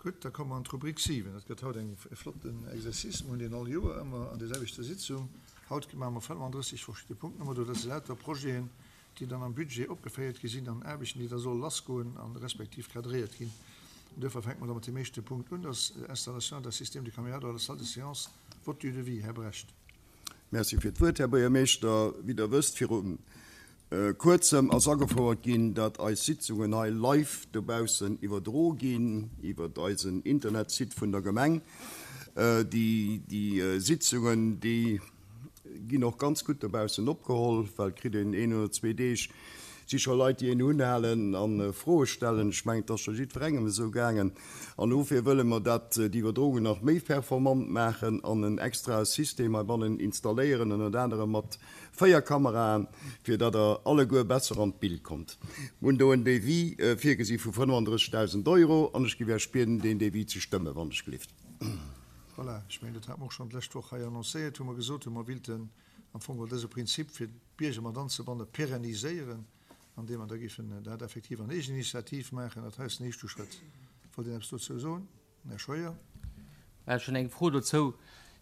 Gutt, da komme mer an d'Rubrik 7. Dat gëtt haut eng e flotten Exercice. Mir hunn deen all Joer ëmmer an där selwechter Sitzung. Haut maache mer 35 verschidde Punkten ëmmer do. Dat si lauter Projeten, déi dann am Budget opgeféiert gi sinn an Aarbechten, déi da solle lassgoen a respektiv cadréiert ginn. An duerfir fänke mer da mat deem éischte Punkt un, dat ass Installation d'un système de caméras dans la salle de séance. Vote du devis. Här Brecht. Merci fir d'Wuert, Här Buergermeeschter. Wéi Der wësst, viru Kuerzem ass agefouert ginn, datt eis Sitzungen hei live dobaussen iwwerdro ginn iwwert eisen Internetsite vun der Gemeng. Déi Sitzungen, déi ginn och ganz gutt dobaussen opgeholl, well et kritt een een oder zwee Deeg si scho Leit, déi een unhalen a Froe stellen. Ech mengen, et ass scho jiddwerengem esou gaangen. An dofir wëlle mer dat, déi Iwwerdroungen nach méi performant maachen an en extrae System heibannen installéieren, ënnert anerem mat 4 Kameraen, fir datt der alleguer besser an d'Bild kommt. Mir hunn do en Devis virgesi vu 35.000 Euro an ech géif Iech bieden, deen Devis ze stëmmen, wann ech gelift. Voilà, ech mengen, dat hate mer och schonn d'lescht Woch hei annoncéiert, wou mer gesot hunn, mer wilten am Fong geholl dëse Prinzip, fir d'Bierger mat anzebannen, pérenniséieren, andeem mer da géifen dat effektiv an Eegeninitiativ maachen. Dat hei ass den éischte Schrëtt. Wollt een eppes dozou soen? Här Scheuer. Ech hunn eng Fro dozou.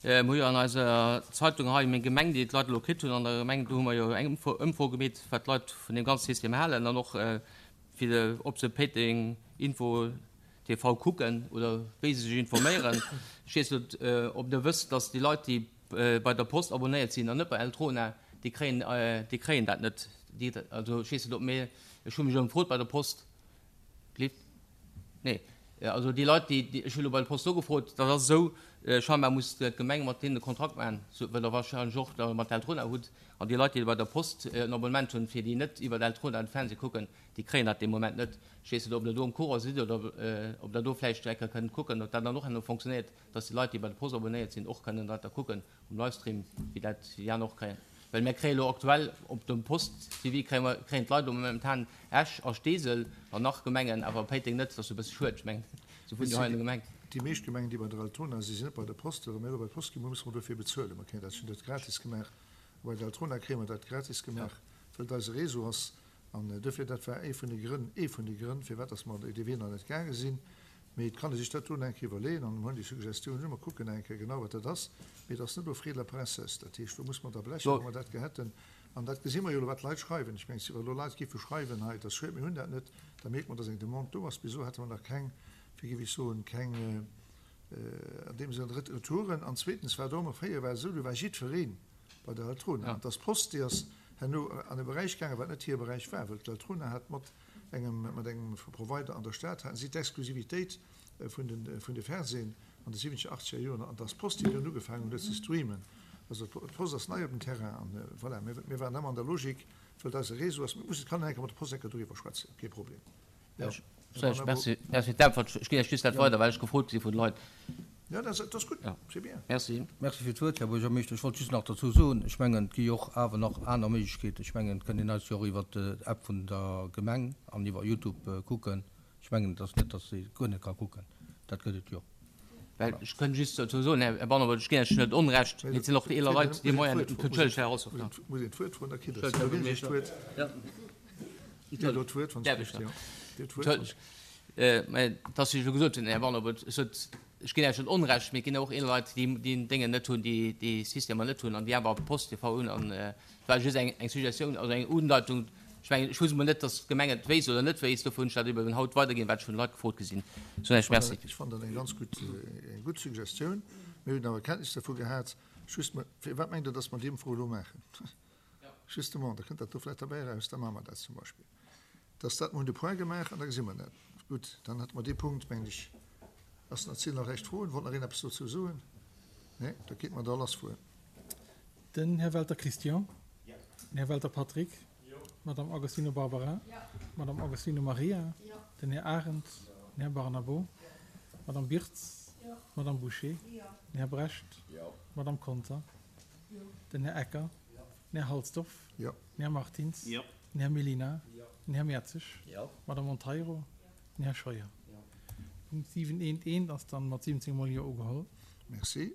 Mir hu jo an eiser Zeitung hei Meng Gemeng, déi d'Leit elo kritt hunn an der Gemeng, do hu mer jo eng Ëmfro gemeet, wat d'Leit vun deem ganze System halen an och fir ob se Péiteng Info TV kucken oder wéi se sech informéieren. Ech weess net, ob Der wësst, dass déi Leit, déi bei der Post abonnéiert sinn an net bei Eltrona, déi kréien, déi kréien dat net. Déi, also ech weess net, ob mir, ech hu mech ëmfrot bei der Post, Gleeft? Nee. Also déi Leit, déi, ech hu elo bei der Post nogefrot, dat ass esou, scheinbar muss d'Gemeng mat deenen e Kontrakt maachen, sou wéi Der wahrscheinlech och da mat Eltrona hutt. An déi Leit, déi bei der Post en Abonnement hunn, fir déi net iwwer Eltrona de Fernseh kucken, déi kréien dat dee Moment net. Ech weess net, ob Der do am Courant sidd oder ob Der do vläicht eng Kéier kënnt kucken, ob dat dann och herno fonctionnéiert, dass déi Leit, déi bei der Post abonnéiert sinn, och kënnen dat da kucken. Um Livestream, wéi dat déi aner och kréien. Well mär kréie lo aktuell op dem Post TV kréie mer, kréien d'Leit lo momentan Esch a Steesel an nach Gemengen, awer Péiteng net. Dat ass jo e bësse schued. Ech mengen, se wunnen jo hei an der Gemeng. Déi meescht Gemengen, déi bei der Altona sinn, sinn net bei der Post. Wa mir elo bei d'Post ginn, musse mer dofir bezuelen. Mer kréien dat jo net gratis gemaach. A bei der Altona kréie mer dat gratis gemaach, well et eise Réseau ass. An dofir, dat war ee vun de Grënn, ee vun de Grënn, firwat dass mer dee Wee nach net gaange sinn. Mee et kann ee sech dat do nach eng Kéier iwwerleeën an mer hunn déi Suggestioun un. Mer kucken nach eng Kéier genau, wat dat ass. Mee et ass net au frais de la princesse. Dat heescht, do muss mer da blechen, wa mer dat gär hätten. An dat gesi mer jo elo, wat d'Leit schreiwen. Ech mengen, wa elo Leit géife schreiwen hei, et ass schued, mir hunn dat net, da mierkt mer, dass eng Demande do ass. Bis elo hate mer nach keng, wéi géif ech soen, keng an deem Sënn Retouren. An zweetens war et och ëmmer, fréier war et esou, do war jiddweree bei der Eltrona. An et ass d'Post, déi ass herno an e Beräich gaangen, wat net hire Beräich war, well d'Eltrona hat mat engem, mat engem Provider an der Stad haten si d'Exklusivitéit vun de, vun de Fernsehen an de siwwenzeger, achtzeger Joren. An et ass d'Post, déi dunn ugefaangen huet ze streamen. Also d'Post ass nei op dem Terrain an voilà, mir, mir waren ëmmer an der Logik, well et eise Réseau ass. Mir mussen, kann een eng Kéier mat der Post eng Kéier doriwwer schwätzen, kee Problem. Jo. Merci, merci fir d'Äntwert. Ech ginn Iech just dat weider, well ech gefrot gi si vun de Leit. Jo, dat ass gutt, c'est bien. Merci. Merci fir d'Wuert, Här Buergermeeschter. Ech wollt just nach derzou soen, ech mengen, et gi jo och awer nach aner Méiglechkeeten. Ech mengen, et kënnt een eis jo och iwwer d'App vun der Gemeng an iwwer Youtube kucken. Ech mengen, et ass net, datt ee guer net ka kucken. Dat gëtt et jo. Well ech kënnt just dozou soen, Här Banner, ech ginn Iech net Onrecht, mee et sinn och eeler Leit, déi Moyen net hunn. Entschëllegt, Här Rossoff. Muss een d'Wuert froen, da kritt Der d'Wuert. Dir hutt elo d'Wuert, wann Dir wëllt. Mä et ass, wéi ech elo gesot hunn, Här Banner, ech sot, ech ginn Iech net Onrecht, mee et ginn och eeler Leit, déi déi Déngen net hunn, déi déi Systemer net hunn an déi awer Post TV hunn. An et war just eng eng Suggestioun, also eng Undeitung. Ech mengen, ech wousst emol net, datt d'Gemeng et wéisst oder net wéisst. Dofir hunn ech dat eben haut weiderginn, wat ech vun de Leit gefrot gi sinn. Soen Iech Merci. Ech fannen dat eng ganz gutt, eng gutt Suggestioun. Mir hunn awer Kenntnis dervu gehat. Just, firwat mengt Der, datt mer déi Ëmfro elo maachen? Justement, da kënnt dat do vläicht derbäi eraus, da maache mer dat zum Beispill. Dass dat, mer hunn de Point gemaach an da gesi mer dat. Gutt, dann hätte mer dee Punkt, mengen ech. Ass nach, sinn nach recht Froen? Wollt nach een eppes dozou soen? Nee, da kéinte mer da lassfueren. Den Här Welter Christian. Den Här Welter Patrick. D'Madame Agostino Barbara. D'Madame Agostino Maria. Den Här Arendt. Den Här Barnabo. D'Madame Birtz. D'Madame Bouché. Den Här Brecht. D'Madame Conter. Den Här Ecker. Den Här Halsdorf. Den Här Martins. Den Här Mellina. Den Här Mertzig. D'Madame Monteiro. Den Här Scheuer. Punkt 7.1.1 ass dann mat 17 mol Jo ugeholl. Merci.